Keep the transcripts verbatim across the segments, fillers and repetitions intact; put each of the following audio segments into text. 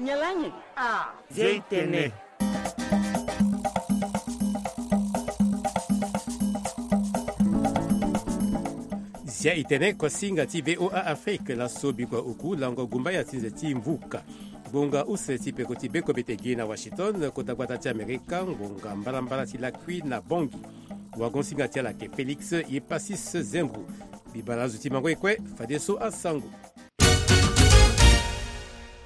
Nyalange. Ah, Zia itene. Zia itene, kuasinga ti V O A Afrique, laso bikua oku lango gumbaya ti nze ti mvuka. Ngonga use ti peko ti beko bete gi na Washington, kota gbata ti Amerika, ngonga mbalambala ti lakui na Bangui. Wagonsinga ti ala ke Félix Yepasis Zengou. Bibala azo ti mango ekue, fadeso asango.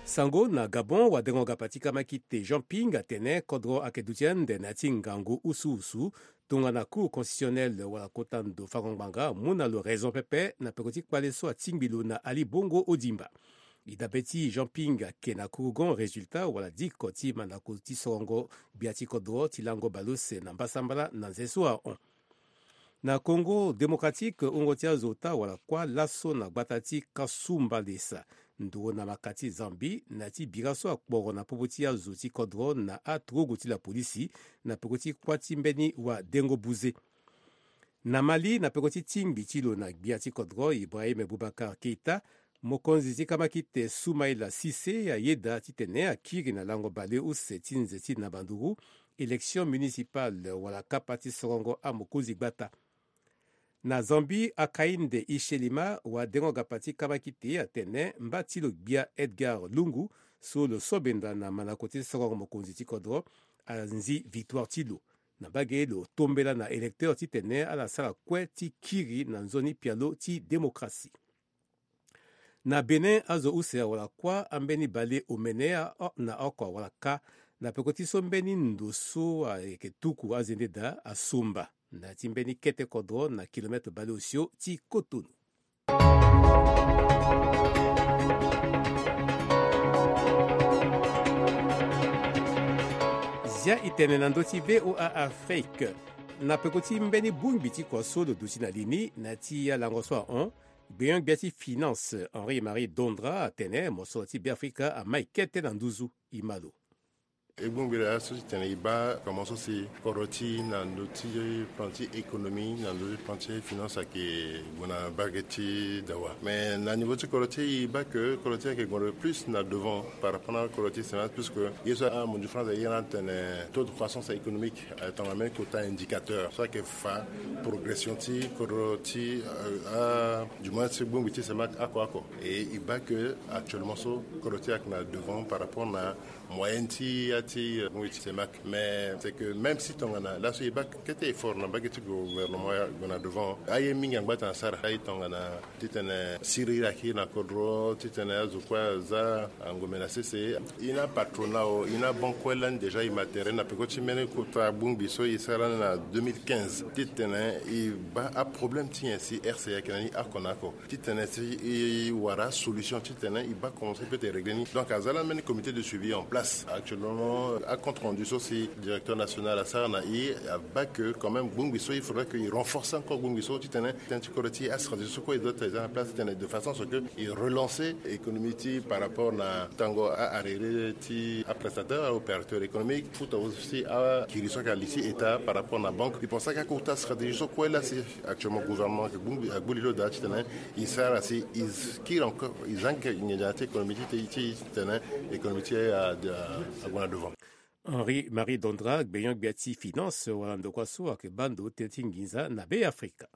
Sango na Gabon, wadengo gapa ti kamakite Jean Ping atene kodro ayeke duti ande na ya ti ngangu usu usu, tongana Cour constitutionnelle wala kota ndo fango ngbanga amu na lo raison pepe na peko ti kpale so atingbi lo na Ali Bongo Odimba. E dabe ti Jean Ping ayeke na kurugon résultat wala diko ti mandako ti sorongo gbia ti kodro ti lango baleuse na mbasambala na nze so ahon. Na Congo Démocratique, wungo ti azo ota wala kuâ laso na gbata ti Kasumbalesa, nduru na maka ti Zambie, na ya ti bira so akporo na popo ti azo ti kodro na aturugu ti lapolisi, na peko ti kuâ ti mbeni wadengo buze. Na Mali, na peko ti tingbi ti lo na gbia ti kodro Ibrahim Boubacar Keita, mokonzi ti kamakite Soumaïla Cissé ayeda titene akiri na lango baleuse ti nze ti na banduru élection municipale wala kapa ti sorongo amokonzi gbata. Na Zambie, Hakainde Hichilema, wadengo gapa ti kamakite atene mba ti lo gbia Edgar Lungu, so lo so benda na mandako ti sorongo mokonzi ti kodro, anzi victoire ti lo. Na mbage lo tombela na électeur titene ala sara kue ti kiri na nzoni pialo ti démocratie. Na Bénin, azo use awara kuâ ambeni baleomene aho na oko awara kâ na peko ti so mbeni ndo so ayeke tuku azende daa asomba na ya ti mbeni kete kodro na kilomètre baleosio ti Cotonou. Zia itene na ndö ti V O A Afrique. Na peko ti mbeni bongbi ti kua so lo duti na li ni na ya ti alango so ahon, gbenyo-gbia ti finance Henri Marie Dondra atene mosoro ti Beafrika amai kete na nduzu. E ma lo. E bongbi laa so ti tene e baa komo so si kodro ti na ndö ti plan ti économie, na ndö ti plan ti finance ayeke gue na mbage ti dawa. Mais na niveau ti kodro ti e, e baa que kodro ti e ayeke gue plus na devant par rapport na kodro ti CEMAC, puisque ye so amundu France aye na atene taux de croissance économique, euh, tongana même kota indicateur so ayeke fa progression ti kodro ti, euh, a, du moins ti bongbi ti CEMAC oko oko. Et e baa que actuellement so kodro ti e ayeke na devant par rapport na moyenne ti ya ti, euh, bongbi ti CEMAC. Mais c'est que même si tongana laso e baa kete effort na mbage ti gouvernement ya gue na devant, aye mingi angba atene asara. Aye tongana titene siriri akiri na kodro, titene azo kue aza angomene na sese. E na patronat o, e na banque kue lani déjà e ma tere na peko ti mbeni kota bongbi so e sara na deux mille quinze. Titene e baa aproblème ti nyen si R C A ayeke na ni oko na oko. Titene si e wara solution titene e baa comment ça peut être réglé ni. Donc aza lani mbeni comité de suivi en place. Actuellement, acompte rendu so si directeur national asara na e, abaa que quand même bongbi so il faudrait que e renforce encore bongbi so titene tënë ti kodro ti e, astratégie so kue e doit eza na place titene de façon à ce que e relancer économie ti e par rapport na tango a-arrêté ti aprestataire, a-opérateur économique, fouta aussi akiri so ayeke na li ti État par rapport na banque. E pense que akota stratégie so kue laa si actuellement gouvernement ayeke gbu li lo daa titene e sara si e kiri encore, e za nginza na ya ti économie ti e, ti titene économie ti e ague na devant. Henri Marie Dondra, gbenyo-gbia ti finance wala ndokua so ayeke baa ndo tënë ti nginza na Beafrika.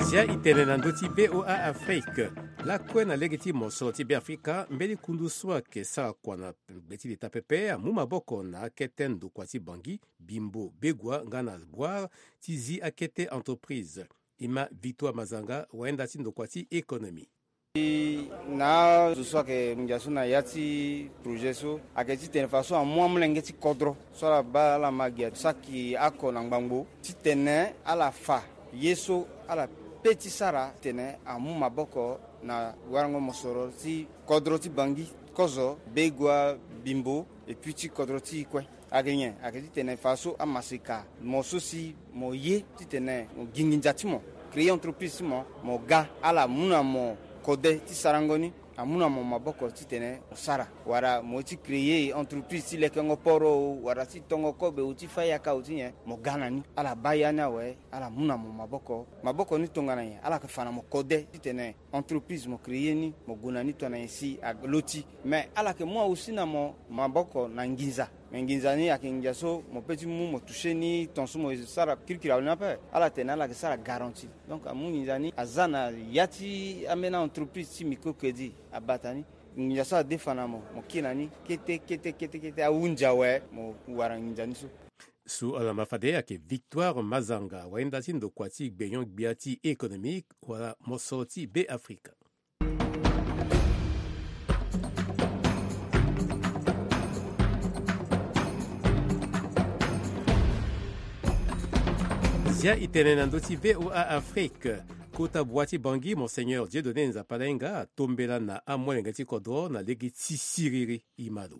Zia itene na ndö ti V O A Afrique. Lakue na lege ti mosoro ti Beafrika, mbeni kundu so ayeke sara kua na gbe ti leta pepe amu maboko na akete ndokua ti Bangui, Bimbo, Begoua nga na Bouar ti zi akete entreprise. E ma Victoire Mazanga, wayenda ti ndokua ti économie. E na azo so ayeke ngia so na ya ti projet so ayeke titene fadeso amu amolenge ti kodro so ala baa ala ma gi asaki oko na ngbangbo titene ala fa ye so ala pe ti sara titene amu maboko na warango mosoro ti kodro ti Bangui, kozo, Begoua, Bimbo, et puis ti kodro ti e kue. Ayeke nyen? Ayeke titene fadeso amaseka mo so si mo ye titene mo gi nginza ti mo, créer entreprise ti mo, mo ga ala mu na mo kode ti sarango ni. amu na mo maboko titene mo sara, wala mo ye ti créer entreprise ti lekengo poro o, wala ti tongo kobe o, ti fa yaka o ti nyen, mo ga na ni. Ala baa ya ni awe, ala mu na mo maboko. Maboko ni tongana nyen? Ala yeke fa na mo kode titene entreprise mo créer ni, mo gue na ni tongana nyen si alo ti. Mais ala yeke mu aussi na mo maboko na nginza. Mais nginza ni ayeke nginza so mo peut ti mu mo toucher ni, ton so mo sara kirikiri awe ni ape. Ala tene ala yeke sara garantie. Donc amu nginza ni aza na ya ti ambeni entreprise ti microcrédit abata ni. Nginza so adefa na mo, mo kiri na ni kete kete kete kete, ahunzi awe, mo wara nginza ni so. So ala ma fade ayeke Victoire Mazanga, wayenda ti ndokua ti gbenyon-gbia ti économique wala moso ti Be Afrika. Zia e tene na ndö ti V O A Afrique. Kota bua ti Bangui, Monseigneur Dieudonné Nzapa Lainga, atombela na amolenge ti kodro na lege ti siriri. E ma lo.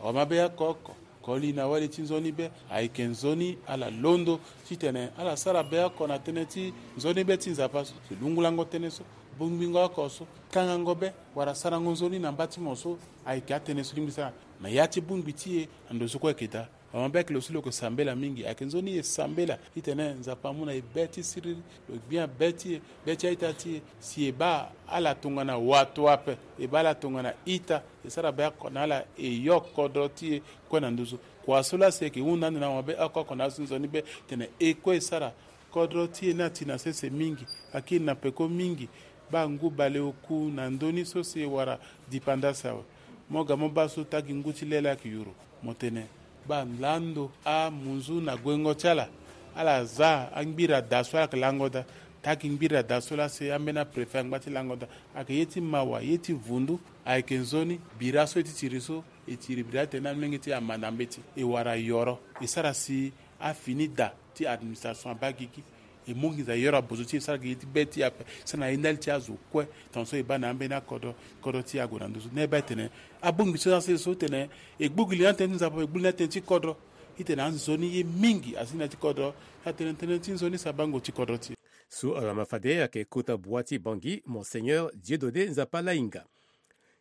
Awa mabe ya oko oko, koli na wali ti nzoni be, ayeke nzoni ala londo titene ala sara be oko na tënë ti nzoni be ti Nzapa so, si lungulango tënë so, bongbingo oko so, kangango be, wala sarango nzoni na mba ti mo so, ayeke atënë so lingbi sara na ya ti bongbi ti e, na ndo so kue ayeke daa. Awa mabe ayeke lo so lo yeke sambela mingi, ayeke nzoni e sambela titene Nzapa amu na e be ti siriri, lo gbia be ti e, be ti a-ita ti e, si e baa ala tongana wato ape, e baa ala tongana ita, e sara be oko na ala, e yo kodro ti e kue na nduzu. Kua so laa si e yeke hunda ande na mabe oko oko na azo ti nzoni be tene e kue e sara, kodro ti e ni ati na sese mingi, akiri na peko mingi. Baa ngu baleoku na ndö ni so si e wara dipandasi awe. Mo ga mo baa so tagi ngu ti le laa ayeke yuru. Mo tene baa lando amunzu na guengo ti ala. Ala za angbira daa so ala yeke lango daa. Tagi ngbira daa so laa si ambeni apréfet angba ti lango daa. Ayeke ye ti mawa, ye ti vundu. Ayeke nzoni bira so e ti tiri so, e tiri bira titene amolenge ti e amanda mbeti, e wara yoro, e sara si afini daa ti administration abaa gigi. E mu nginza yoro abozo ti e, e sara gi ye ti be ti e ape, e sara na ye ndali ti azo kue. Tongaso e baa na ambeni akodro, kodro ti e ague na nduzu. Na e baa e tene abongbi so na sese so tene e gbu gi li na tënë ti Nzapa, e gbu li na tënë ti kodro. Titene anzoni ye mingi asi na ya ti kodro. Atene tënë ti nzoni si abango ti kodro ti e. So ala ma fade ayeke kota bua ti Bangui, Monseigneur Dieudonné Nzapa Lainga.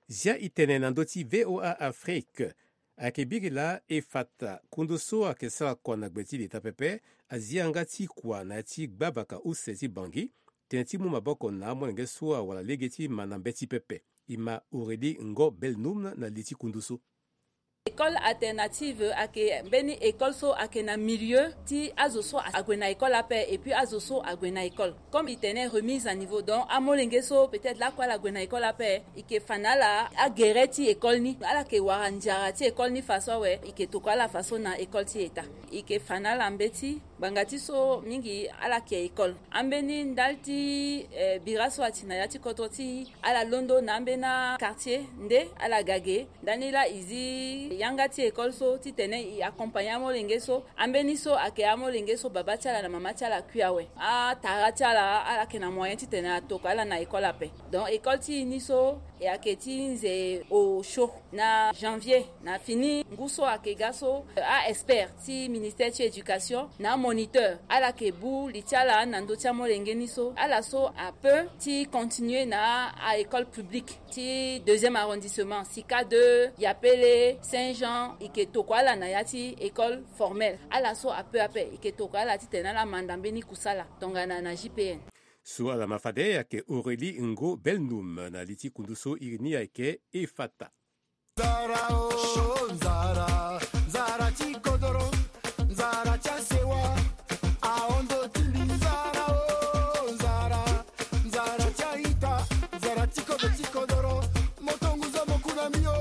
Zia e tene na ndö ti V O A Afrique. Ayeke biri laa Efata, kundu so ayeke sara kua na gbe ti leta pepe, azi yanga ti kua na ya ti gbabaka use ti Bangui, tënë ti mu maboko na amolenge so awara lege ti manda mbeti pepe. E ma Aurélie Ngo Belnum na li ti kundu so. École alternative ayeke mbeni école so ayeke na milieu ti azo so ague na école ape et puis azo so ague na école. Comme e tene remise à niveau, donc amolenge so peut-être lakue ala gue na école ape, e yeke fa na ala agere ti école ni, ala yeke wara nzara ti école ni faso awe, e yeke tokua ala faso na école ti État. E yeke fa na ala mbeti, ngbanga ti so mingi ala yeke école. Ambeni ndali ti, eh, bira so ati na ya ti kodro ti e, ala londo na ambeni quartier nde ala ga ge. Ndani laa e zi yanga ti école so titene e accompagner amolenge so. Ambeni so ayeke amolenge so baba ti ala na mama ti ala akui awe. Atara ti ala, ala yeke na moyen titene atokua ala na école ape. Donc école ti e ni so e yeke ti nze osio. Na janvier, na fini ngu so ayeke ga so, a-expert ti ministère ti éducation na amoniteur, ala yeke bu li ti ala na ndö ti amolenge ni so. Ala so apeut ti continuer na a-école publique ti deuxième arrondissement, Sika deux, Yapele, Saint-Jean, e yeke tokua ala na ya ti école formelle. Ala so apeut ape, e yeke tokua ala titene ala manda mbeni kusala tongana na J P N. So ala ma fade ayeke Aurélie Ngo Belnum na li ti kundu so iri ni ayeke Efata. Nzara o, nzara, nzara ti kodoro, nzara ti asewa, ahondo ti mbi. Nzara o, nzara, nzara ti a-ita, nzara ti kodro ti kodoro, moto ngu zo mo ku na mbi o.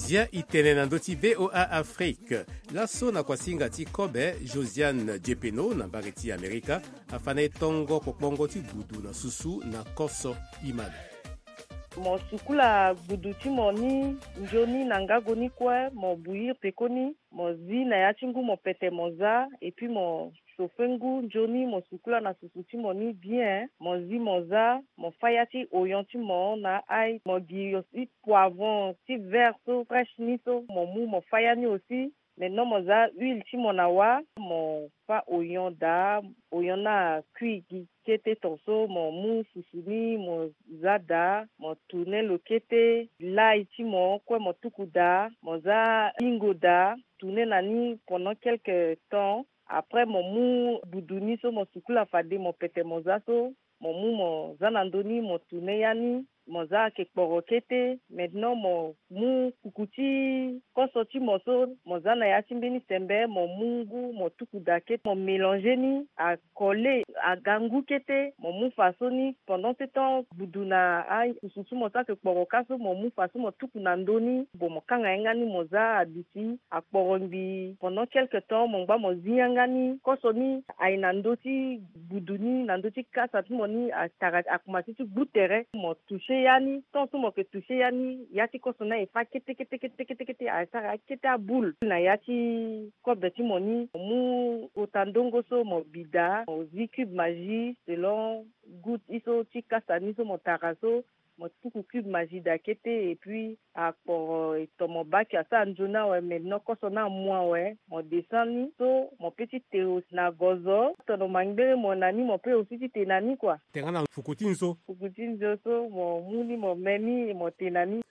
Zia e tene na ndö ti V O A Afrique. Laso na kuasinga ti kobe, Josiane Diepeno na mbage ti Amerika afa na e tongo kpokpongo ti gudu na susu na koso. E ma lo. Mo sukula gudu ti mo ni nzoni na ngago ni kue, mo bouillir pekoni, mo zi na ya ti ngu mo pete mo za, et puis mo chauffer ngu nzoni, mo sukula na susu ti mo ni bien, mo zi mo za, mo fâ ya ti oignon ti mo na ail, mo gi aussi poivron ti vert so fraîche ni so, mo mu mo fâ ya ni aussi. Maintenant mo za huile ti mo na wâ, mo fâ oyon daa. Oyon ni akui gi kete ton so, mo mû fufu ni mo za daa, mo tourner lo kete. Lay ti mo kue mo tuku daa, mo za hingo daa, tourner na ni pendant quelque temps. Après mo mû gbudu ni so mo sukula fade mo pete mo za so, mo mû mo za na ndö ni, mo tourner ya ni, mo za ayeke kporo kete. Maintenant mo mû kuku ti koso ti mo so, mo za na ya ti mbeni sembe, mo mû ngu mo tuku daa kete, mo mélanger ni, acoller, aga ngu kete. Mo mû fadeso ni pendant ce temps gbudu na afusu ti mo so ayeke kporo kâ so, mo mû fadeso mo tuku na ndö ni. Bon, mo kanga yanga ni, mo za aduti akporo ngbii pendant quelque temps, mo ngba mo zi yanga ni. Koso ni aye na ndö ti gbudu ni, na ndö ti kasa ti mo ni, atara akomanse ti gbu tere. Mo toucher ya ni, tant so mo yeke toucher ya ni, ya ti koso ni aye fâ kete kete kete kete kete, asara ya kete aboule na ya ti kobe ti mo ni. Mo mû kota ndongo so mo bi daa, mo zi cube Maggi selon goût ti so ti kasa ni so mo tara so, mo tuku cube Maggi daa kete. Et puis akporo e to mo bake, asara nzoni awe, maintenant koso ni amu awe, mo descend ni so, mo pe ti tero na gozo. Tono mangbere mo na ni, mo pe aussi ti te na ni kua. Tene nga na fuku ti nzo. Fuku ti nzo so mo mû ni, mo me ni, mo te na ni.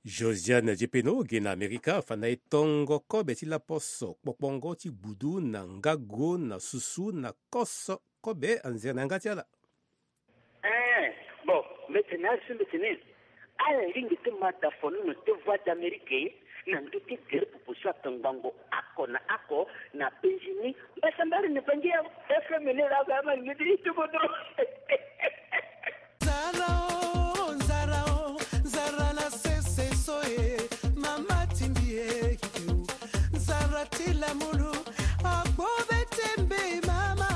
Josiane Jepeno ge na Amerika, afa na e tongo kobe ti laposo kpokpongo ti gbudu na ngago na susu na koso kobe, anzere na yanga ti ala. Eh, bon, mbi tene azo so mbi tene. Ala lingbi ti ma da fonono ti Voix d'Amérique na ndö ti gere popo so atongbango oko na oko na penzi ni. Mbasambara na Bangi ya F M ni la ba ma ngidi ti bodo. Nzara o, nzara o, nzara na sese so e, mama timbi e, nzara ti lamulu, akpo be tembe mama,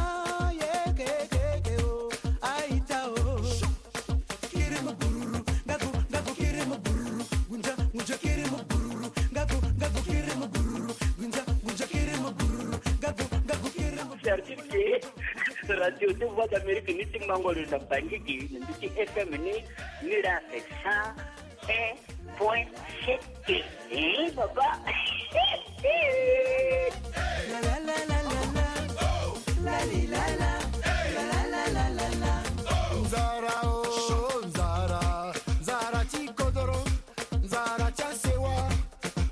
ye ke ke ke o, aita o. Kiri mo bururu, ngaku, ngaku kiri mo bururu, gunja, gunja kiri mo bururu, ngaku, ngaku kiri mo bururu, gunja, gunja kiri mo bururu, ngaku, ngaku kiri mo. C'est-à-dire que Radio de Voix d'Amérique ni ti mango lo na Bangi gi, ni ti F M ni, ni la c'est cent un point sept. Eh, papa. La, la, la, la, la, la. La, li, la, la. La, la, la, la, la, la. Nzara, oh, nzara, nzara ti kodoro, nzara ti asewa,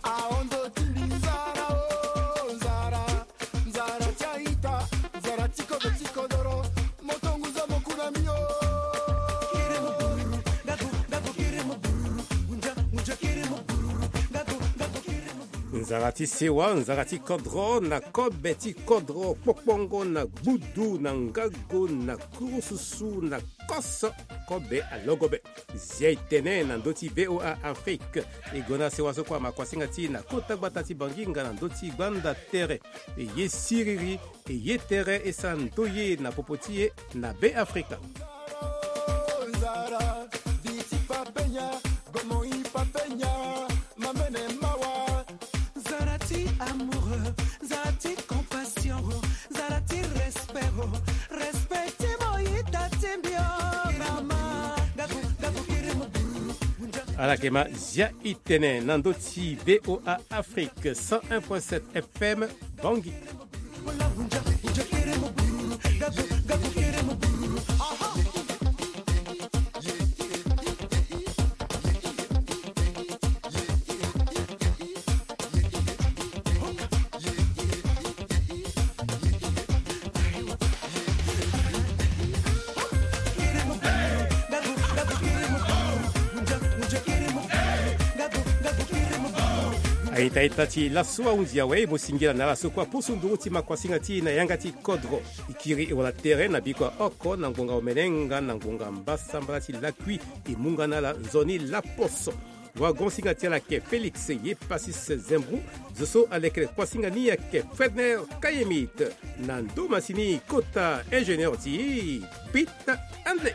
aondo timbi nzara, oh, nzara, nzara ti aita, nzara ti kodo ti kodoro, moto nguza mo kuna mio. Nzara ti sewa, nzara ti kodro, na kobe ti kodro, kpokpongo na gbudu, na ngago, na kurususu, na koso, kobe alogobe. Zia e tene na ndö ti V O A Afrique. E gue na sewa so kue ama kuasinga ti e na kota gbata ti Bangi nga na ndö ti gbanda tere. E ye siriri, e ye tere, e sara ndoye na popo ti e na Be Afrika. Nzara, di ti papenya, gomo i papenya, mamene mawa. Nzara ti amoureux, nzara ti compassion, nzara ti respect, respect ti mo yita ti mbio, mama. Gabu, gabu, kiri mo bururu. Ala yeke ma zia e tene na ndö ti V O A Afrique cent un point sept F M, Bangi. Aita ita ti laso ahunzi awe, mo singila na ala so kue apusu nduru ti ma kuasinga ti e na yanga ti kodro. E kiri e wala tere na biko ya oko na ngonga omene nga na ngonga mbasambala ti lakui. E mu nga na ala nzoni laposo. Wagon singa ti ala ayeke Félix ye Pasis Zembou, zo so aleke kuasinga ni ayeke Fredner Kayemit. Na ndo masini kota ingénieur ti e, Pita Andlé.